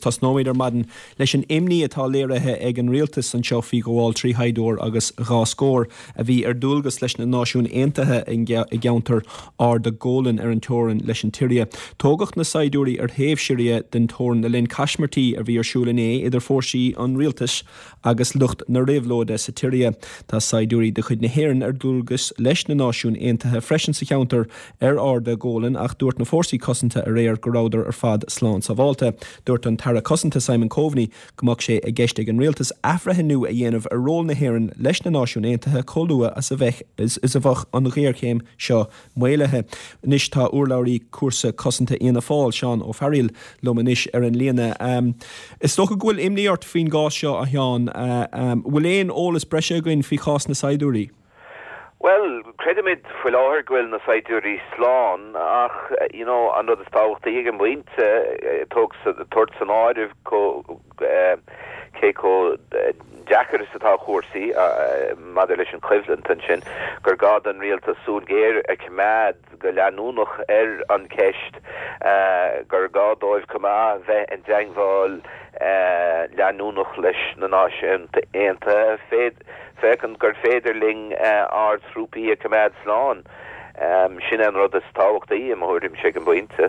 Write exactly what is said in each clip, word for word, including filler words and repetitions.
tosnóimid ar maidin leis an imní atá léirithe ag an rialtas anseo faoi ghabháil trí shaighdiúir agus dhá scór a bhí ar dualgas leis na Náisiúin Aontaithe i gceantar Arda Golan ar an teorainn leis an tSiria. Tógadh na saighdiúirí ar thaobh Siria den teorainn le linn caismirtí a bhí ar siúl inné idir fórsaí an rialtais agus lucht na réabhlóide sa tSiria. Tá saighdiúirí de chuid na hÉireann ar dualgas leis na Náisiúin Aontaithe freisin sa cheantar ar Arda Golan ach dúirt na fórsaí cosanta aréir go rabhadar ar fad slán sábháilte. Dúirt an tAire Cosanta Simon Coveney go mbeadh sé i gceist ag an rialtas athbhreithniú a dhéanamh ar ról na hÉireann leis na Náisiúin Aontaithe chomh luath as a bheith is a bheadh an ghéarchéim seo maolaithe. Anois tá urlabhraí cúrsaí cosanta Fhianna Fáil Seán Ó Fearghaíl liom anois ar an líne. Um, is dócha go bhfuil imní ort faoin gcás seo a Sheáin, uh, um, bhfuil aon eolas breise againn faoi chás na saighdiúirí? Well, creidimid faoi láthair go bhfuil na saighdiúirí slán ach you know, an rud is tábhachtaí ag an bpointe tabhairt san áireamh cé chomh deacair is atá cúrsaí maidir leis an choimhlint ansin gur gá don rialtas súil ghéar a choimeád go leanúnach ar an cheist gur gá dóibh chomh maith bheith i dteagmháil leanúnach leis na Náisiúin Aontaithe féachaint gur féidir linn ár dtrúpaí a choimeád slán. Um, sin an rud is tábhachtaí i mo thuairimse ag an bpointe.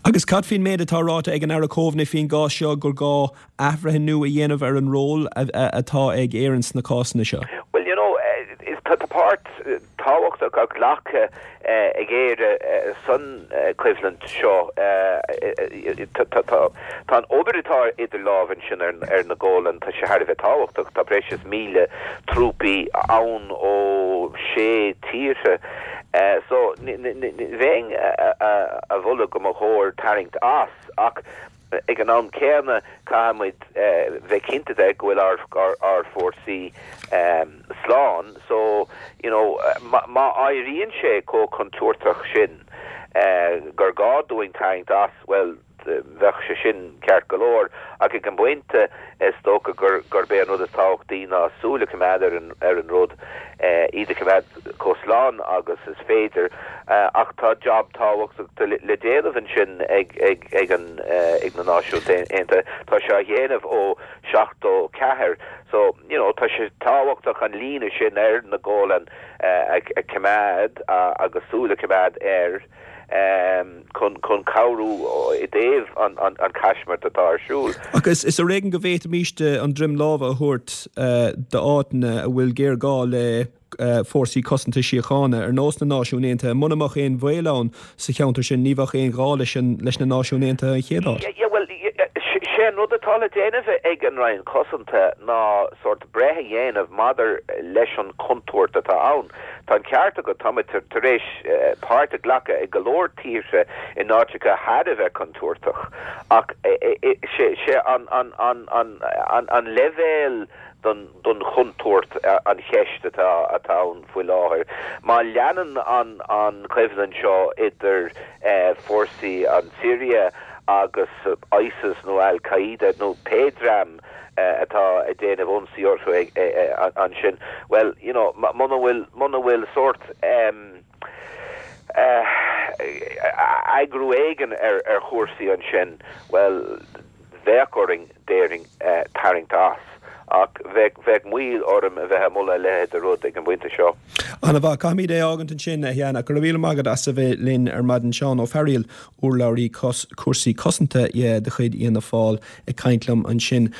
Agus cad faoin méid atá ráite ag an Aire Coveney faoin gcás seo gur gá athbhreithniú a dhéanamh ar an ról atá ag Éirinn sna cásanna seo. Well you know is tá páirt tábhachtach á glacadh ag Éire san choimhlint seo tá an obair atá idir lámha ansin ar ar na Golan tá sé thar a bheith tábhachtach tá breis is míle trúpaí ann ó sé tíortha. Uh, so bheinn ag moladh go mba chóir tarraingt as ach ag an am céanna caithfimid uh, bheith cinnte de go bhfuil ár ár ár fórsaí um, slán so you know má éiríonn sé chomh contúirteach sin uh, gur gá dúinn tarraingt as well bheadh sé sin ceart go leor ach ag an bpointe is dócha gur gur bé an rud is tábhachtaí ná súil a choimeád ar an ar an rud eh, iad a choimeád chomh slán agus is féidir eh, ach tá job tábhachtach le déanamh ansin ag ag ag an eh, ag na Náisiúin Aontaithe tá sé á dhéanamh ó seachtó ceathair so you know tá sé tábhachtach an líne sin ar na Golan a choimeád agus súil a choimeád air um, chun chun cabhrú i dtaobh an, an, an chaismirt atá ar siúl. Agus is ar éigean go bhféadfaimis an droim láimhe a thabhairt uh, d'áiteanna a bhfuil géarghá le uh, fórsaí cosanta síochána ar nós na Náisiún Aontaithe muna mbeadh aon bhaol ann sa cheantar sin ní bheadh aon gá leis leis na Náisiúin Aontaithe an chéad áit. Yeah, well, sé an rud atá le déanamh ag an Roinn Cosanta ná sort breith a dhéanamh maidir leis an chontúirt atá ann. Tá an ceart agat tá tar éis eh, páirt a ghlacadh ag go leor tíortha in áiteacha thar a bheith contúirteach ach sé sé an an an an an an leibhéal don don chontúirt an cheist atá atá ann faoi láthair. Má leanann an an choimhlint seo idir eh, fórsaí an Siria agus ISIS nó Al-Qaeda nó pé dream uh, atá ag déanamh ionsaí orthu ansin well you know muna bhfuil muna bhfuil sort um, uh, eagrú éigin ar ar chúrsaí ansin well bheadh orainn déarfainn uh, tarraingt as ach bheadh bheadh moill orm a bheith ag moladh a leithéid de rud ag an bpointe seo. Ana mhaith caithfimid é fhágaint ansin a Sheáin ach go raibh míle maith agat as a bheith linn ar maidin Seán Ó Fearghaíl urlabhraí cúrsaí cosanta de chuid Fhianna Fáil ag caint liom ansin.